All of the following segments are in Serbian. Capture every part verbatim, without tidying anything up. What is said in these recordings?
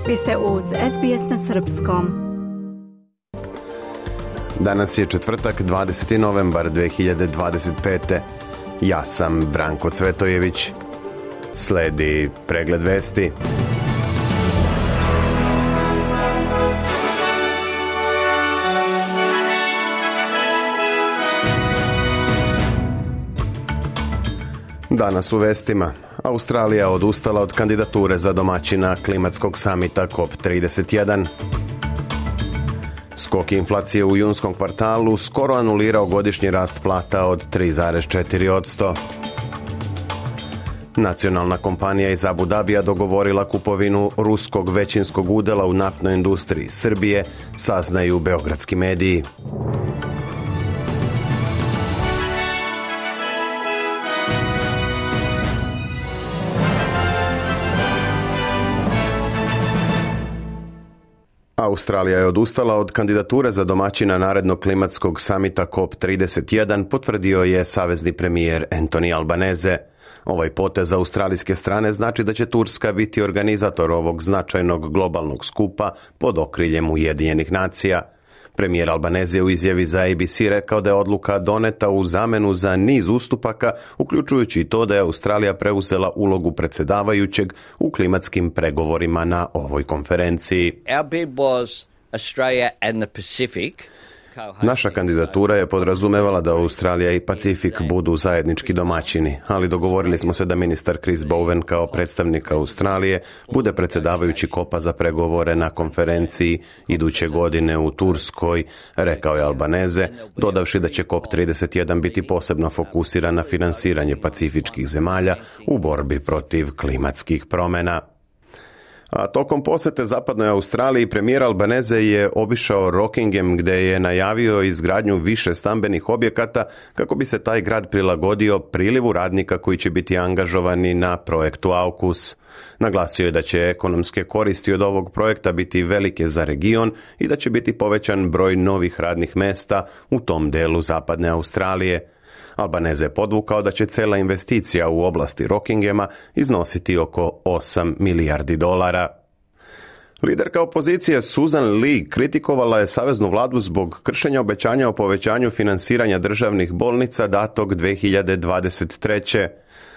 Vi ste uz S B S na srpskom. Danas je četvrtak, dvadeseti novembar dve hiljade dvadeset pete. Ja sam Branko Cvetojević. Sledi pregled vesti. Danas u vestima. Australija odustala od kandidature za domaćina klimatskog samita C O P trideset jedan. Skok inflacije u junskom kvartalu skoro anulirao godišnji rast plata od tri zarez četiri posto. Nacionalna kompanija iz Abu Dabija dogovorila kupovinu ruskog većinskog udjela u naftnoj industriji Srbije, saznaju beogradski mediji. Australija je odustala od kandidature za domaćina narednog klimatskog samita C O P trideset jedan, potvrdio je savezni premijer Anthony Albanese. Ovaj potez australijske strane znači da će Turska biti organizator ovog značajnog globalnog skupa pod okriljem Ujedinjenih nacija. Premijer Albanese je u izjavi za A B C rekao da je odluka doneta u zamenu za niz ustupaka, uključujući i to da je Australija preuzela ulogu predsjedavajućeg u klimatskim pregovorima na ovoj konferenciji. Our bid was Australia and the Pacific. Naša kandidatura je podrazumevala da Australija i Pacifik budu zajednički domaćini, ali dogovorili smo se da ministar Chris Bowen kao predstavnik Australije bude predsjedavajući kopa za pregovore na konferenciji iduće godine u Turskoj, rekao je Albanese, dodavši da će C O P trideset jedan biti posebno fokusiran na finansiranje pacifičkih zemalja u borbi protiv klimatskih promjena. A tokom posjete zapadnoj Australiji premijer Albanese je obišao Rockingham gdje je najavio izgradnju više stambenih objekata kako bi se taj grad prilagodio prilivu radnika koji će biti angažovani na projektu AUKUS. Naglasio je da će ekonomske koristi od ovog projekta biti velike za region i da će biti povećan broj novih radnih mesta u tom delu zapadne Australije. Albanese je podvukao da će cela investicija u oblasti Rockinghama iznositi oko osam milijardi dolara. Liderka opozicije Susan Lee kritikovala je saveznu vladu zbog kršenja obećanja o povećanju finansiranja državnih bolnica datog dve hiljade dvadeset treće.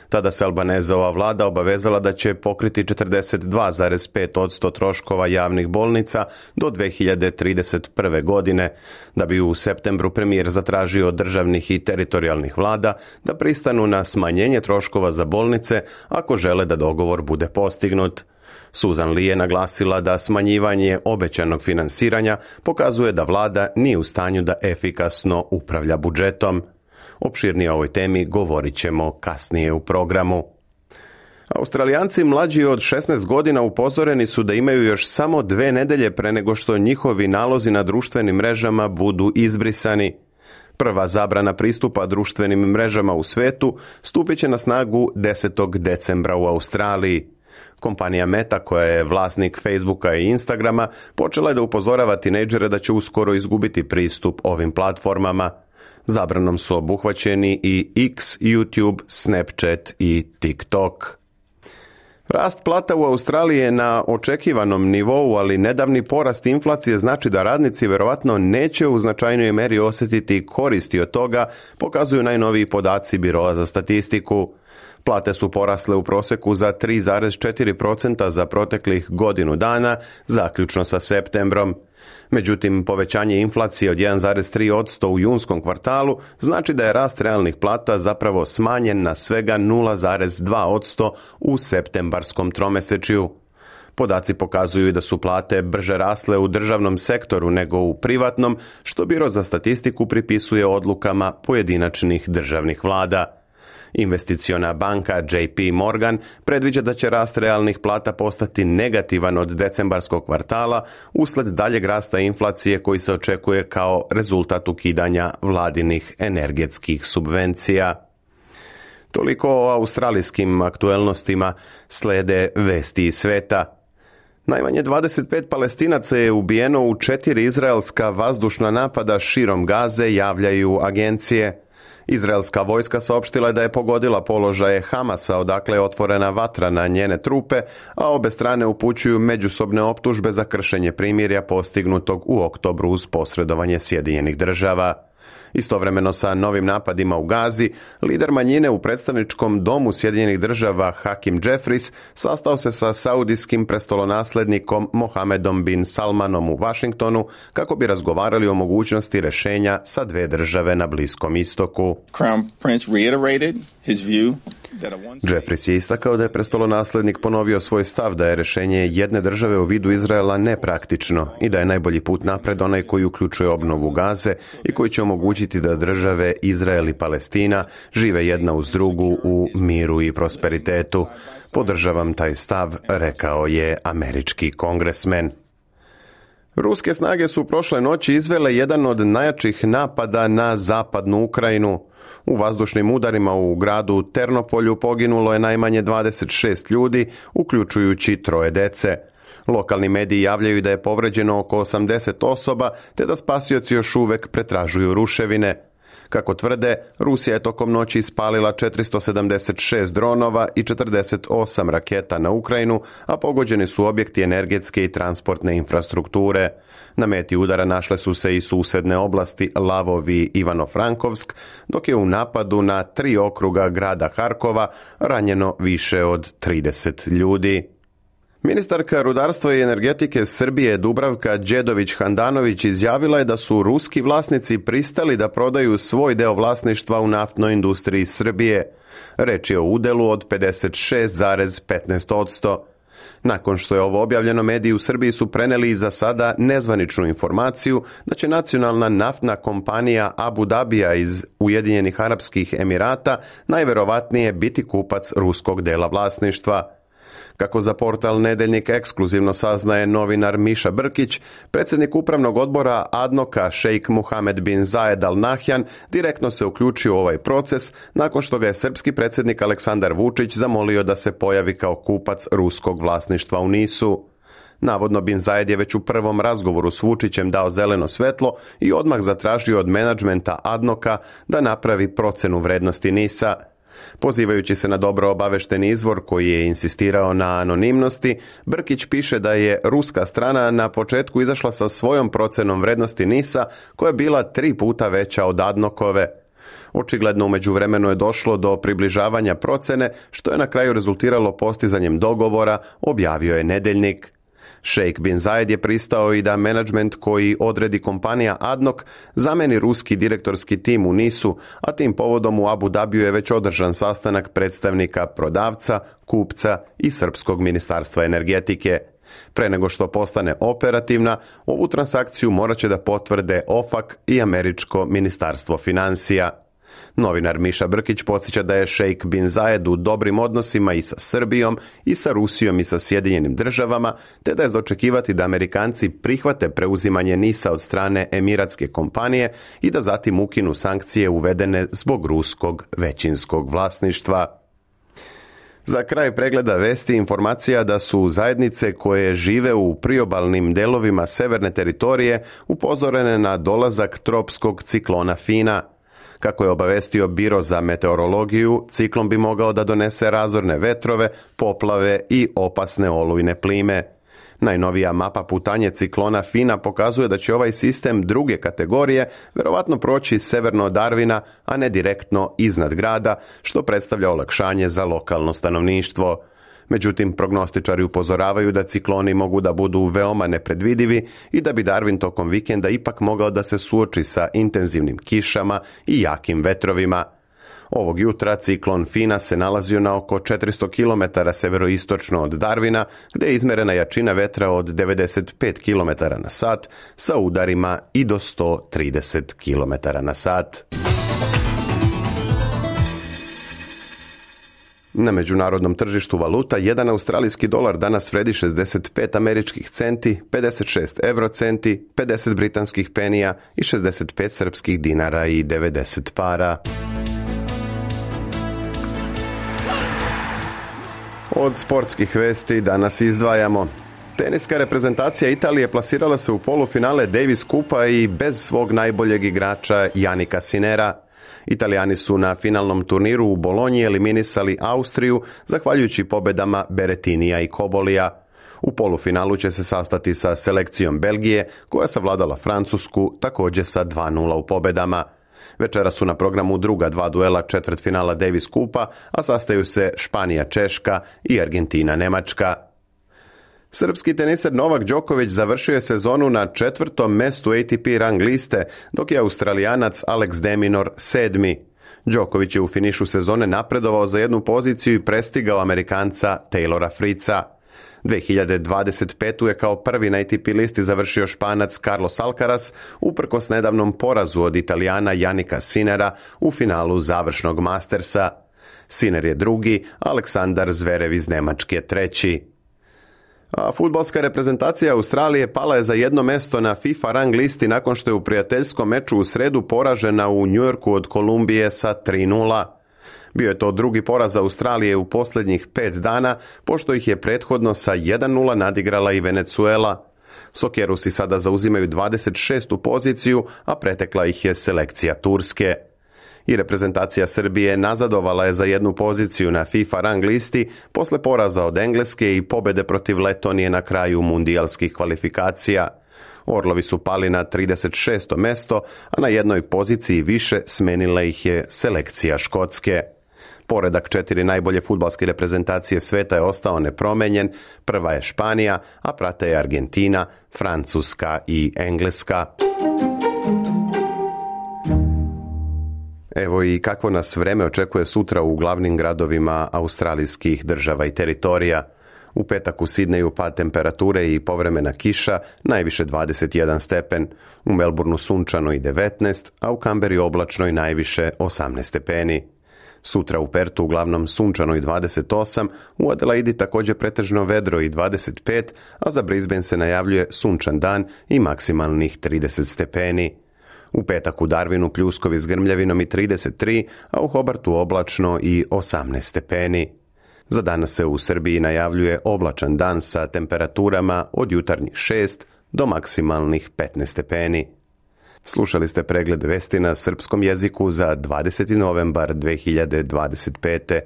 Tada se Albaneseova vlada obavezala da će pokriti četrdeset dva zarez pet posto troškova javnih bolnica do dve hiljade trideset prve. godine, da bi u septembru premijer zatražio od državnih i teritorijalnih vlada da pristanu na smanjenje troškova za bolnice ako žele da dogovor bude postignut. Susan Lee je naglasila da smanjivanje obećanog finansiranja pokazuje da vlada nije u stanju da efikasno upravlja budžetom. Opširnije o ovoj temi govorit ćemo kasnije u programu. Australijanci mlađi od šesnaest godina upozoreni su da imaju još samo dve nedelje pre nego što njihovi nalozi na društvenim mrežama budu izbrisani. Prva zabrana pristupa društvenim mrežama u svetu stupit će na snagu desetog decembra u Australiji. Kompanija Meta, koja je vlasnik Facebooka i Instagrama, počela je da upozorava tinejdžere da će uskoro izgubiti pristup ovim platformama. Zabranom su obuhvaćeni i X, YouTube, Snapchat i TikTok. Rast plata u Australiji je na očekivanom nivou, ali nedavni porast inflacije znači da radnici verovatno neće u značajnoj meri osjetiti koristi od toga, pokazuju najnoviji podaci Biroa za statistiku. Plate su porasle u proseku za tri zarez četiri posto za proteklih godinu dana, zaključno sa septembrom. Međutim, povećanje inflacije od jedan zarez tri posto u junskom kvartalu znači da je rast realnih plata zapravo smanjen na svega nula zarez dva posto u septembarskom tromesečju. Podaci pokazuju da su plate brže rasle u državnom sektoru nego u privatnom, što Biro za statistiku pripisuje odlukama pojedinačnih državnih vlada. Investiciona banka J P Morgan predviđa da će rast realnih plata postati negativan od decembarskog kvartala usled daljeg rasta inflacije koji se očekuje kao rezultat ukidanja vladinih energetskih subvencija. Toliko o australijskim aktuelnostima, slede vesti iz sveta. Najmanje dvadeset pet Palestinaca je ubijeno u četiri izraelska vazdušna napada širom Gaze, javljaju agencije. Izraelska vojska saopštila je da je pogodila položaje Hamasa, odakle je otvorena vatra na njene trupe, a obe strane upućuju međusobne optužbe za kršenje primirja postignutog u oktobru uz posredovanje Sjedinjenih država. Istovremeno sa novim napadima u Gazi, lider manjine u predstavničkom domu Sjedinjenih država Hakim Jeffries sastao se sa saudijskim prestolonaslednikom Mohamedom bin Salmanom u Washingtonu kako bi razgovarali o mogućnosti rješenja sa dve države na Bliskom istoku. Crown Prince reiterated his view. Jeffries je istakao da je prestolonaslednik ponovio svoj stav da je rješenje jedne države u vidu Izraela nepraktično i da je najbolji put napred onaj koji uključuje obnovu Gaze i koji će omogućiti da države Izrael i Palestina žive jedna uz drugu u miru i prosperitetu. Podržavam taj stav, rekao je američki kongresmen. Ruske snage su prošle noći izvele jedan od najjačih napada na zapadnu Ukrajinu. U vazdušnim udarima u gradu Ternopolju poginulo je najmanje dvadeset šest ljudi, uključujući troje dece. Lokalni mediji javljaju da je povređeno oko osamdeset osoba, te da spasioci još uvek pretražuju ruševine. Kako tvrde, Rusija je tokom noći ispalila četiristo sedamdeset šest dronova i četrdeset osam raketa na Ukrajinu, a pogođeni su objekti energetske i transportne infrastrukture. Na meti udara našle su se i susedne oblasti Lavov i Ivano-Frankovsk, dok je u napadu na tri okruga grada Harkova ranjeno više od trideset ljudi. Ministarka rudarstva i energetike Srbije Dubravka Đedović-Handanović izjavila je da su ruski vlasnici pristali da prodaju svoj deo vlasništva u naftnoj industriji Srbije. Reč je o udelu od pedeset šest zarez petnaest posto. Nakon što je ovo objavljeno, mediji u Srbiji su preneli za sada nezvaničnu informaciju da će nacionalna naftna kompanija Abu Dabija iz Ujedinjenih Arapskih Emirata najverovatnije biti kupac ruskog dela vlasništva. Kako za portal Nedeljnik ekskluzivno saznaje novinar Miša Brkić, predsjednik upravnog odbora Adnoka šejk Muhamed bin Zayed Al Nahyan direktno se uključio u ovaj proces nakon što ga je srpski predsjednik Aleksandar Vučić zamolio da se pojavi kao kupac ruskog vlasništva u Nisu. Navodno bin Zayed je već u prvom razgovoru s Vučićem dao zeleno svetlo i odmah zatražio od menadžmenta Adnoka da napravi procenu vrednosti Nisa. Pozivajući se na dobro obavešteni izvor koji je insistirao na anonimnosti, Brkić piše da je ruska strana na početku izašla sa svojom procenom vrednosti Nisa koja je bila tri puta veća od Adnokove. Očigledno u međuvremenu je došlo do približavanja procene, što je na kraju rezultiralo postizanjem dogovora, objavio je Nedeljnik. Šejk bin Zayed je pristao i da menadžment koji odredi kompanija Adnok zameni ruski direktorski tim u Nisu, a tim povodom u Abu Dabiju je već održan sastanak predstavnika prodavca, kupca i Srpskog ministarstva energetike. Pre nego što postane operativna, ovu transakciju morat će da potvrde OFAC i Američko ministarstvo financija. Novinar Miša Brkić podsjeća da je šejk bin Zayed u dobrim odnosima i sa Srbijom, i sa Rusijom i sa Sjedinjenim državama, te da je za očekivati da Amerikanci prihvate preuzimanje Nisa od strane emiratske kompanije i da zatim ukinu sankcije uvedene zbog ruskog većinskog vlasništva. Za kraj pregleda vesti informacija da su zajednice koje žive u priobalnim delovima severne teritorije upozorene na dolazak tropskog ciklona Fina. Kako je obavestio Biro za meteorologiju, ciklon bi mogao da donese razorne vetrove, poplave i opasne olujne plime. Najnovija mapa putanje ciklona Fina pokazuje da će ovaj sistem druge kategorije verovatno proći severno od Darwina, a ne direktno iznad grada, što predstavlja olakšanje za lokalno stanovništvo. Međutim, prognostičari upozoravaju da cikloni mogu da budu veoma nepredvidivi i da bi Darwin tokom vikenda ipak mogao da se suoči sa intenzivnim kišama i jakim vetrovima. Ovog jutra ciklon Fina se nalazio na oko četiristo kilometara severoistočno od Darwina, gde je izmerena jačina vetra od devedeset pet kilometara na sat sa udarima i do sto trideset kilometara na sat. Na međunarodnom tržištu valuta jedan australijski dolar danas vredi šezdeset pet američkih centi, pedeset šest eurocenti, pedeset britanskih penija i šezdeset pet srpskih dinara i devedeset para. Od sportskih vesti danas izdvajamo. Teniska reprezentacija Italije plasirala se u polufinale Davis Kupa i bez svog najboljeg igrača Jannika Sinera. Italijani su na finalnom turniru u Bolonji eliminisali Austriju zahvaljujući pobedama Berettinija i Cobolija. U polufinalu će se sastati sa selekcijom Belgije, koja savladala Francusku također sa dva nula u pobedama. Večera su na programu druga dva duela četvrtfinala Davis Kupa, a sastaju se Španija-Češka i Argentina-Nemačka. Srpski teniser Novak Đoković završio je sezonu na četvrtom mestu A T P rang liste, dok je Australijanac Alex de Minaur sedmi. Đoković je u finišu sezone napredovao za jednu poziciju i prestigao Amerikanca Taylora Fritza. dvije hiljade dvadeset pete. je kao prvi na A T P listi završio Španac Carlos Alcaraz, uprkos nedavnom porazu od Italijana Jannika Sinnera u finalu završnog Mastersa. Sinner je drugi, Aleksandar Zverev iz Nemačke treći. A fudbalska reprezentacija Australije pala je za jedno mesto na FIFA rang listi nakon što je u prijateljskom meču u sredu poražena u Njujorku od Kolumbije sa tri nula. Bio je to drugi poraz Australije u posljednjih pet dana, pošto ih je prethodno sa jedan nula nadigrala i Venezuela. Sokerusi sada zauzimaju dvadeset šestu poziciju, a pretekla ih je selekcija Turske. I reprezentacija Srbije nazadovala je za jednu poziciju na FIFA rang listi posle poraza od Engleske i pobede protiv Letonije na kraju mundijalskih kvalifikacija. Orlovi su pali na trideset šesto mesto, a na jednoj poziciji više smenila ih je selekcija Škotske. Poredak četiri najbolje fudbalske reprezentacije sveta je ostao nepromenjen, prva je Španija, a prate je Argentina, Francuska i Engleska. Evo i kakvo nas vreme očekuje sutra u glavnim gradovima australijskih država i teritorija. U petak u Sidneju pad temperature i povremena kiša, najviše dvadeset jedan stepen, u Melbourneu sunčano i devetnaest, a u Kamberi oblačno i najviše osamnaest stepeni. Sutra u Pertu uglavnom sunčano i dvadeset osam, u Adelaidi također pretežno vedro i dvadeset pet, a za Brisbane se najavljuje sunčan dan i maksimalnih trideset stepeni. U petak u Darwinu pljuskovi s grmljavinom i trideset tri, a u Hobartu oblačno i osamnaest stepeni. Za danas se u Srbiji najavljuje oblačan dan sa temperaturama od jutarnjih šest do maksimalnih petnaest stepeni. Slušali ste pregled vesti na srpskom jeziku za dvadeseti novembar dvije hiljade dvadeset pete.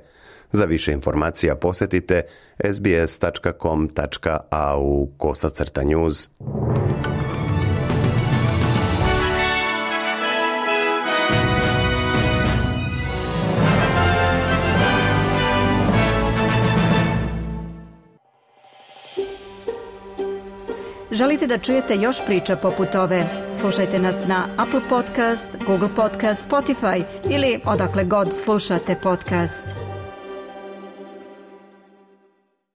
Za više informacija posjetite s b s tačka com tačka a u kosacrta news. Želite da čujete još priča poput ove? Slušajte nas na Apple Podcast, Google Podcast, Spotify ili odakle god slušate podcast.